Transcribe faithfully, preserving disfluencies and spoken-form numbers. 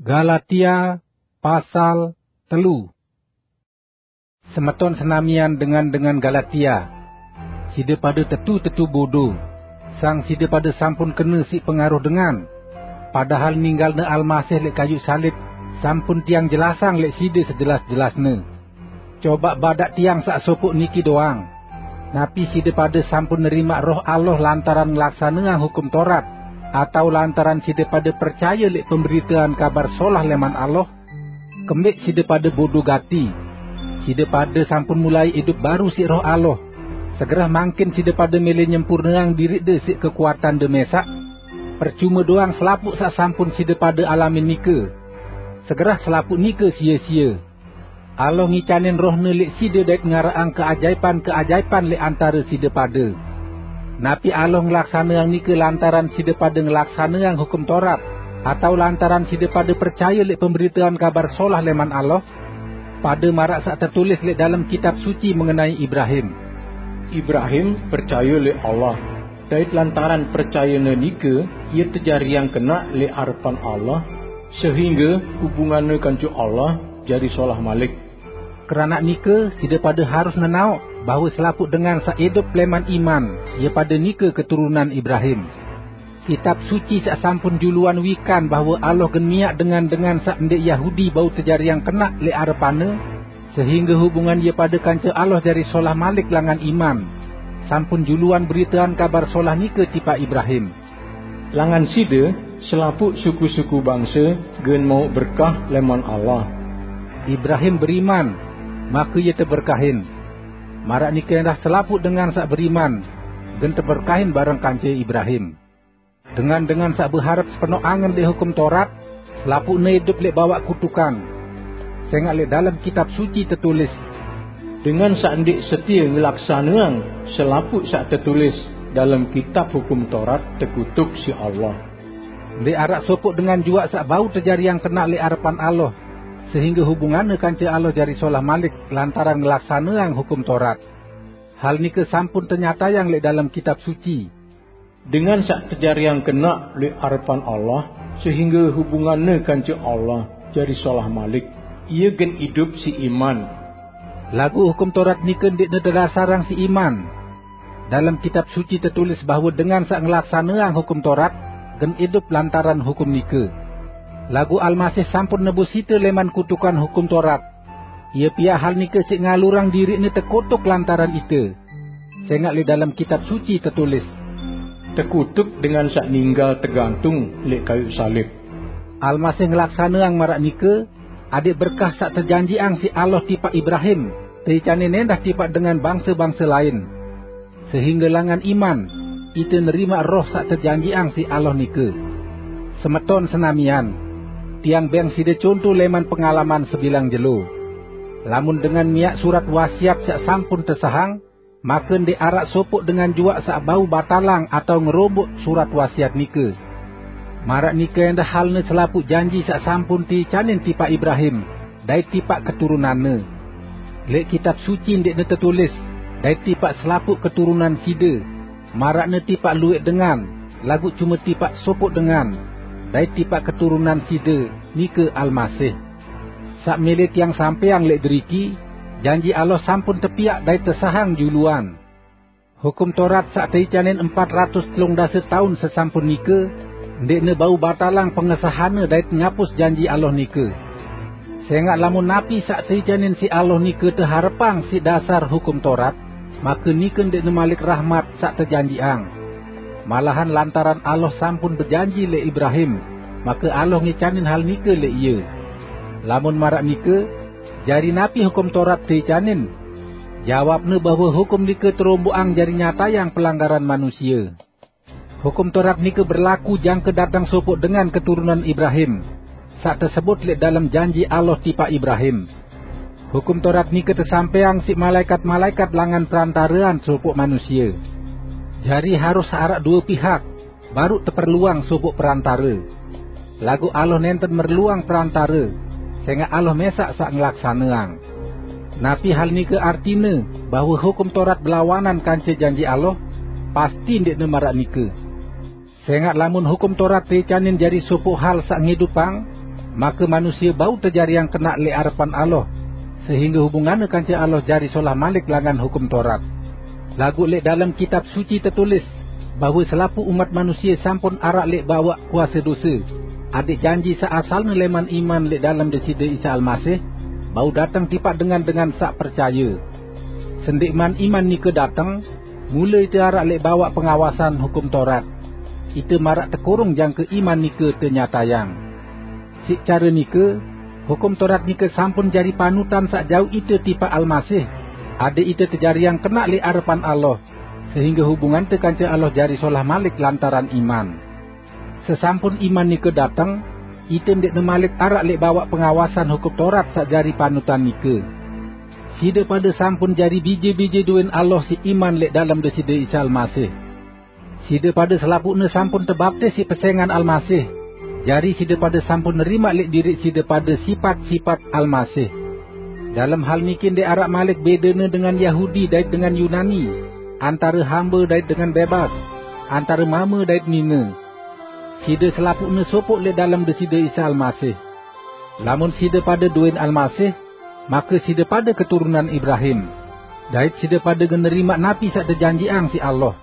Galatia pasal telu. Semeton senamian dengan-dengan Galatia, side pade tetu-tetu bodo, sang side pade sampun kena siq pengaruh dengan, padahal ninggalne Almasih leq kayuq salib sampun tiang jelasang leq side sejelas-jelasne. Cobaq badaq tiang saq sopoq niki doang. Napi side pade sampun nerimaq Roh Allah lantaran ngelaksaneang Hukum Torat, atao lantaran side pade percaye leq pemberitean Kabar Solah leman Allah? Kembeq side pade bodo gati. Side pade sampun mulai idup baru siq Roh Allah. Segerah mangkin side pade mele nyempurneang diriqde siq kekuatande mesaq? Percume doang selapuq saq sampun side pade alamin nike. Segerah selapuq nike sie-sie. Allah ngicanin Roh-Ne leq side dait ngaraqang keajaipan-keajaipan leq antare side pade. Napi Allah ngelaksaneang nike lantaran side pade ngelaksaneang Hukum Torat, atao lantaran side pade percaye leq pemberitean Kabar Solah leman Allah? Pade maraq saq tetulis leq dalem Kitab Suci mengenai Ibrahim, "Ibrahim percaye leq Allah, dait lantaran percayene nike, ie tejariang kenaq leq arepan Allah, sehingge hubunganne kance Allah jari solah malik." Keranaq nike, side pade harus nenaoq bahwe selapuq dengan saq idup leman iman, ie pade nike keturunan Ibrahim. Kitab Suci saq sampun juluan wikan bahwe Allah gen miaq dengan-dengan saq ndeq Yahudi bau tejariang kenaq leq arepan-Ne, sehingge hubungan ie pade kance Allah jari solah malik langan iman, sampun juluan beritean Kabar Solah nike tipaq Ibrahim. "Langan side, selapuq suku-suku bangse gen mauq berkah leman Allah." Ibrahim beriman, make ie teberkahin. Maraq nike endah selapuq dengan saq beriman, gen teberkahin bareng kance Ibrahim. Dengan-dengan saq beharep sepenoq angen leq Hukum Torat, selapuqne idup leq bawaq kutukan. Sengaq leq dalem Kitab Suci tetulis, "Dengan saq ndeq setie ngelaksaneang selapuq saq tetulis dalem Kitab Hukum Torat tekutuk siq Allah." Ndeq araq sopoq dengan juaq saq bau tejariang kenaq leq arepan Allah, sehingge hubunganne kance Allah jari solah malik lantaran ngelaksaneang Hukum Torat. Hal nike sampun tenyatayang leq dalem Kitab Suci, "Dengan saq tejariang kenaq leq arepan Allah, sehingge hubunganne kance Allah jari solah malik, ie gen idup siq iman." Laguq Hukum Torat nike ndeqne tedasarang siq iman. Dalem Kitab Suci tetulis bahwe dengan saq ngelaksaneang Hukum Torat gen idup lantaran hukum nike. Laguq Almasih sampun nebus ite leman kutukan Hukum Torat. Ie piaq hal nike siq ngalurang diriqne tekutuk lantaran ite. Sengaq leq dalem Kitab Suci tetulis, "Tekutuk dengan saq ninggal tegantung leq kayuq salib." Almasih ngelaksaneang maraq nike, adeq berkah saq tejanjiqang siq Allah tipaq Ibrahim teicanin endah tipaq dengan bangse-bangse lain, sehingge langan iman ite nerimaq Roh saq tejanjiqang siq Allah nike. Semeton senamian, tiang beng side conto leman pengalaman sebilang jelo. Lamun dengan miaq surat wasiat saq sampun tesahang, make ndeq araq sopoq dengan juaq saq bau batalang atao ngeromboq surat wasiat nike. Maraq nike endah halne selapuq janji saq sampun teicanin tipaq Ibrahim dait tipaq keturunanne. Leq Kitab Suci ndeqne tetulis, "Dait tipaq selapuq keturunan side," maraqne tipaq lueq dengan, laguq cume tipaq sopoq dengan, "Dait tipaq keturunan side," nike Almasih. Saq mele tiang sampeang leq deriki, janji Allah sampun tepiaq dait tesahang juluan. Hukum Torat saq teicanin empat ratus telung dase taun sesampun nike, ndeqne bau batalang pengesahanne dait ngapus janji Allah nike. Sengaq lamun napi saq teicanin siq Allah nike teharepang siq dasar Hukum Torat, make nike ndeqne malik rahmat saq tejanjiqang. Malahan lantaran Allah sampun bejanji leq Ibrahim, make Allah ngicanin hal nike leq ie. Lamun maraq nike, jari napi Hukum Torat teicanin? Jawabne bahwe hukum nike teromboqang jari nyatayang pelanggaran manusie. Hukum Torat nike berlaku jangke dateng sopoq dengan keturunan Ibrahim, saq tesebut leq dalem janji Allah tipaq Ibrahim. Hukum Torat nike tesampeang siq malaekat-malaekat langan perantarean sopoq manusie. Jari harus araq due pihak, baruq teperluang sopoq perantare. Laguq Allah nenten merluang perantare, sengaq Allah mesaq saq ngelaksaneang. Napi hal nike artine, bahwe Hukum Torat belawanan kance janji Allah? Pasti ndeqne maraq nike. Sengaq lamun Hukum Torat teicanin jari sopoq hal saq ngidupang, Maka manusia bau tejariang kena leh arepan Allah, sehingga hubunganne kance Allah jari solah malik langan Hukum Torat. Laguq leh dalem Kitab Suci tetulis, bahwe selapuq umat manusia sampun araq leh bawaq kuase dose, adek janji saq asalne leman iman leh dalem Deside Isa Almasih, bau dateng tipaq dengan-dengan saq percaye. Sendikman iman nike dateng, mule ite araq leh bawaq pengawasan Hukum Torat. Ite maraq tekurung jangke iman nike tenyatayang. Siq care nike, Hukum Torat nike sampun jari panutan saq jauq ite tipaq Almasih, adek ite tejariang kena leh arepan Allah, sehingga hubungante kance Allah jari solah malik lantaran iman. Sesampun iman nike dateng, ite ndeqne malik araq leh bawaq pengawasan Hukum Torat saq jari panutan nike. Side pade sampun jari bije-bije doen Allah siq iman leh dalem Deside Isa Almasih. Side pade selapuqne sampun tebaptis siq pesengan Almasih, jari side pade sampun nerimaq leh diriq side pade sipat-sipat Almasih. Dalem hal niki ndeq araq malik bedene dengan Yahudi dait dengan Yunani, antare hambe dait dengan bebas, antare mame dait nine. Side selapuqne sopoq leh dalem Deside Isa Almasih. Lamun side pade doen Almasih, make side pade keturunan Ibrahim, dait side pade gen nerimaq napi saq tejanjiqang siq Allah.